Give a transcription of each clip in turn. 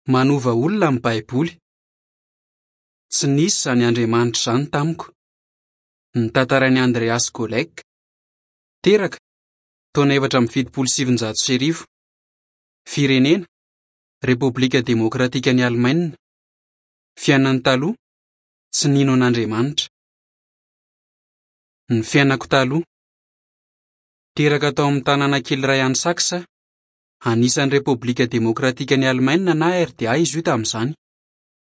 Manova olona ny Baiboly. Tsy nisy izany Andriamanitra izany tamiko. Notantarain'i Andreas Golek. Teraka, taona 1974. Firenena, Repoblika Demokratikan'i Alemaina. Fiainany taloha, Tsy nino an'Andriamanitra. Ny fiainako taloha. Teraka tao amin'ny tanàna kely iray any Saxe aho. Anisan'ny Repoblika Demokratikan'i Alemaina na RDA izy io tamin'izany.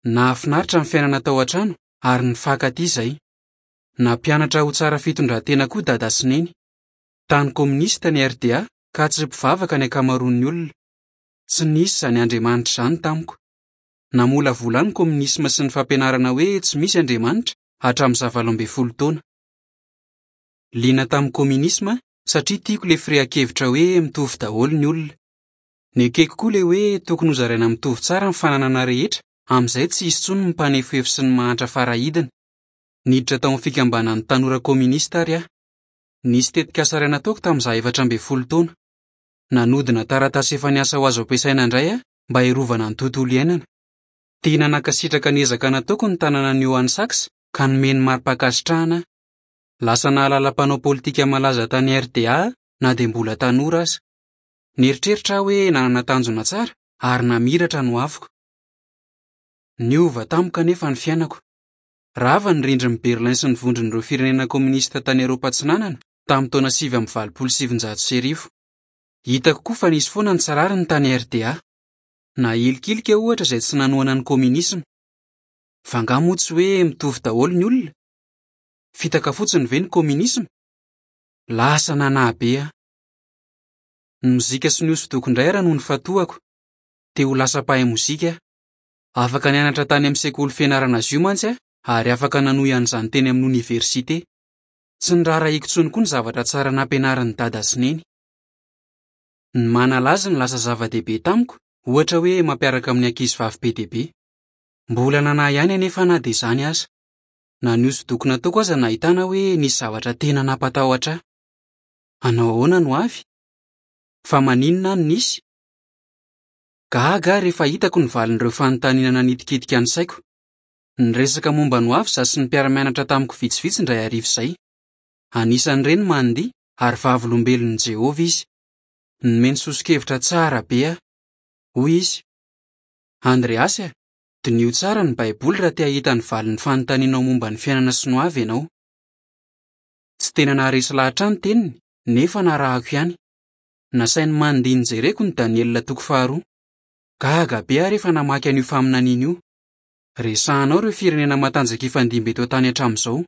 Nahafinaritra ny fiainana tao an-trano ary nifankatia izahay. Nampianatra ho tsara fitondran-tena koa Dada sy Neny. Tany kominista ny RDA ka tsy mpivavaka ny ankamaroan'ny olona. Tsy nisy izany Andriamanitra izany tamiko. Namolavola ahy ny kominisma sy ny fampianarana hoe tsy misy Andriamanitra hatramin'izaho 18 taona. Liana tamin'ny kominisma aho satria tiako ilay firehan-kevitra hoe mitovy daholo ny olona. Nekeko koa ilay hoe tokony hozaraina mitovy tsara ny fananana rehetra amin'izay tsy hisy intsony ny mpanefoefo sy ny mahantra faraidiny. Niditra tao amin'ny fikambanan'ny tanora kominista àry aho. Nisy tetikasa iray nataoko tamin'izaho 14 taona. Nanodina taratasy efa niasa ho azo ampiasaina indray aho mba hiarovana ny tontolo iainana. Tena nankasitraka ny ezaka nataoko ny tanànan'i Johann Sachs ka nomeny mari-pankasitrahana aho. Lasa nahalala mpanao politika malaza tany RDA aho na dia mbola tanora aza. Nieritreritra aho hoe nanana tanjona tsara ary namiratra ny hoaviko. Niova tampoka anefa ny fiainako. Rava ny rindrin'i Berlin sy ny vondron'ireo firenena kominista tany Eoropa Atsinanana tamin'ny taona 1989. Hitako koa fa nisy foana ny tsy rariny tany RDA. Nahilikilika ohatra izay tsy nanohana ny kominisma. Fa angaha moa tsy hoe mitovy daholo ny olona? Fitaka fotsiny ve ny kominisma? Lasa nanahy be aho. Ny mozika sy ny hosodoko indray ary no nifantohako. Te ho lasa mpahay mozika aho. Afaka nianatra tany amin'ny sekoly fianarana azy io mantsy aho ary afaka nanohy an'izany teny amin'ny oniversite. Tsy niraharahiako intsony koa ny zavatra tsara nampianarin'i Dada sy Neny. Ny manala azy no lasa zava-dehibe tamiko, ohatra hoe mampiaraka amin'ny ankizivavy be dia be. Mbola nanahy ihany anefa na dia izany aza. Na ny hosodoko nataoko aza nahitana hoe nisy zavatra tena nampatahotra ahy. Hanao ahoana no avy? Fa maninona aho no nisy? Gaga aho rehefa hitako ny valin'ireo fanontaniana nanitikitika ny saiko. Niresaka momba ny hoavy izaho sy ny mpiara-mianatra tamiko vitsivitsy indray hariva izay. Anisan'ireny Mandy ary Vavolombelon'i Jehovah izy. Nomeny soso-kevitra tsara be aho. Hoy izy, Andreas a, diniho tsara ny Baiboly raha te hahita ny valin'ny fanontanianao momba ny fiainana sy ny hoavy ianao. Tsy tena naharesy lahatra ahy ny teniny, nefa narahako ihany. Nasain'i Mandy nojereko ny Daniela toko faharoa. Gaga be aho rehefa namaky an'io faminaniana io. Resahana ao ireo firenena matanjaka hifandimby eto an-tany hatramin'izao.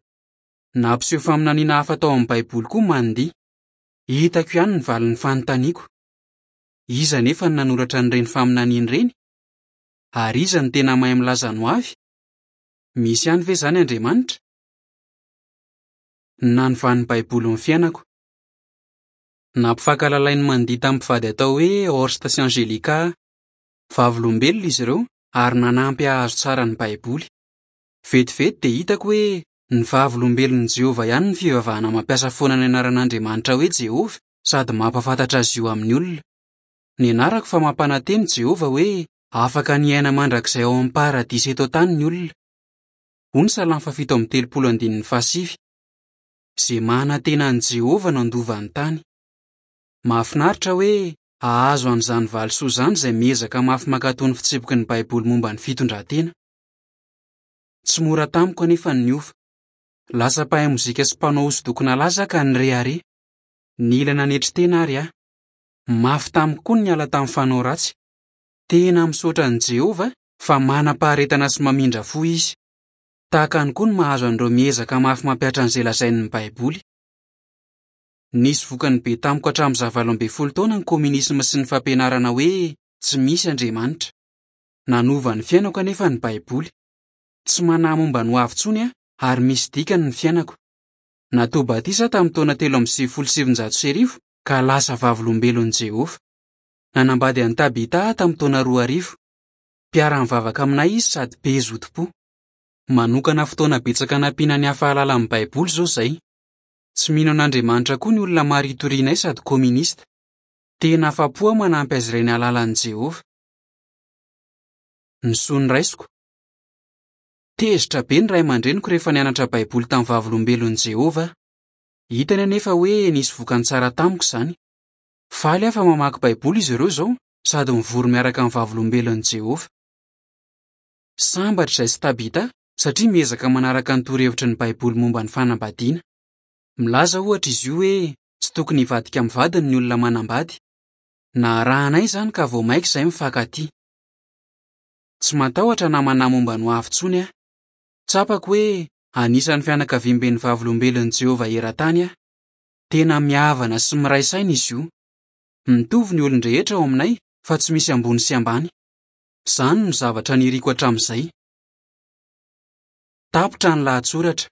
Nampiseho faminaniana hafa tao amin'ny Baiboly koa Mandy. Hitako ihany ny valin'ny fanontaniako. Iza anefa no nanoratra an'ireny faminaniana ireny? Ary iza no tena mahay milaza ny hoavy? Misy ihany ve izany Andriamanitra? Ny nanovan'ny Baiboly ny fiainako. Nampifankahalalain'i Mandy tamin'ny mpivady atao hoe Horst sy Angelika aho. Vavolombelona izy ireo ary nanampy hahazo tsara ny Baiboly. Vetivety dia hitako hoe ny Vavolombelon'i Jehovah ihany no fivavahana mampiasa foana ny anaran'Andriamanitra hoe Jehovah sady mampahafantatra azy io amin'ny olona. Nianarako fa mampanantena i Jehovah hoe afaka ny hiaina mandrakizay ao amin'ny paradisa eto an-tany ny olona. Hoy ny Salamo faha-37 andininy fahasivy, Izay manantena an'i Jehovah no handova ny tany. Mahafinaritra hoe hahazo an'izany valisoa izany izay miezaka mafy mankatò ny fitsipiky ny Baiboly momba ny fitondran-tena. Tsy mora tamiko anefa ny niova. Lasa mpahay mozika sy mpanao hosodoko nalaza aho ka nirehareha. Nila nanetry tena àry aho. Mafy tamiko koa ny niala tamin'ny fanao ratsy. Tena misaotra an'i Jehovah fa manam-paharetana sy mamindra fo izy. Tahaka any koa ny mahazo an'ireo miezaka mafy mampihatra an'izay lazain'ny Baiboly. Nisy vokany be tamiko hatramin'izaho 18 taona ny kominisma sy ny fampianarana hoe tsy misy Andriamanitra. Nanova ny fiainako anefa ny Baiboly. Tsy manahy momba ny hoavy intsony aho ary misy dikany ny fiainako. Natao batisa aho tamin'ny taona 1993 ka lasa Vavolombelon'i Jehovah. Nanambady an'i Tabitha aho tamin'ny taona 2000. Mpiara-mivavaka aminay izy sady be zotom-po. Manokana fotoana betsaka hanampiana ny hafa hahalala ny Baiboly izao izahay. Tsy mino an'Andriamanitra koa ny olona maro itorianay sady kominista. Tena afa-po aho manampy azy ireny hahalala an'i Jehovah. Ny soa noraisiko. Tezitra be ny ray aman-dreniko rehefa nianatra Baiboly tamin'ny Vavolombelon'i Jehovah aho. Hitany anefa hoe nisy vokany tsara tamiko izany. Faly aho fa mamaky Baiboly izy ireo izao sady mivory miaraka amin'ny Vavolombelon'i Jehovah. Sambatra izahay sy Tabitha satria miezaka manaraka ny torohevitry ny Baiboly momba ny fanambadiana. Milaza, ohatra, izy io hoe tsy tokony hivadika amin'ny vadiny ny olona manambady. Naharahanay izany ka vao mainka izahay mifankatia. Tsy matahotra na manahy momba ny hoavy intsony aho. Tsapako hoe anisan'ny fianakaviamben'ny Vavolombelon'i Jehovah eran-tany aho. Tena mihavana sy miray saina izy io. Mitovy ny olon-drehetra ao aminay fa tsy misy ambony sy ambany. Izany no zavatra niriko hatramin'izay. Tapitra ny lahatsoratra.